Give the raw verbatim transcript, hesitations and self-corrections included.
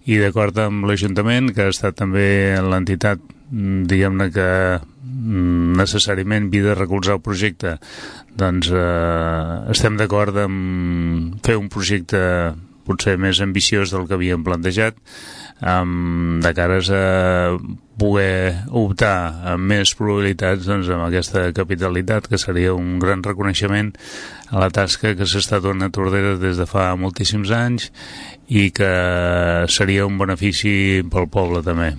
I d'acord amb l'Ajuntament, que ha estat també l'entitat, diguem-ne, que necessàriament havia de recolzar el projecte, doncs eh, estem d'acord en fer un projecte potser més ambiciós del que havíem plantejat, um, de cares a poder optar amb més probabilitats doncs, amb aquesta capitalitat, que seria un gran reconeixement a la tasca que s'ha donat a Tordera des de fa moltíssims anys i que seria un benefici pel poble també.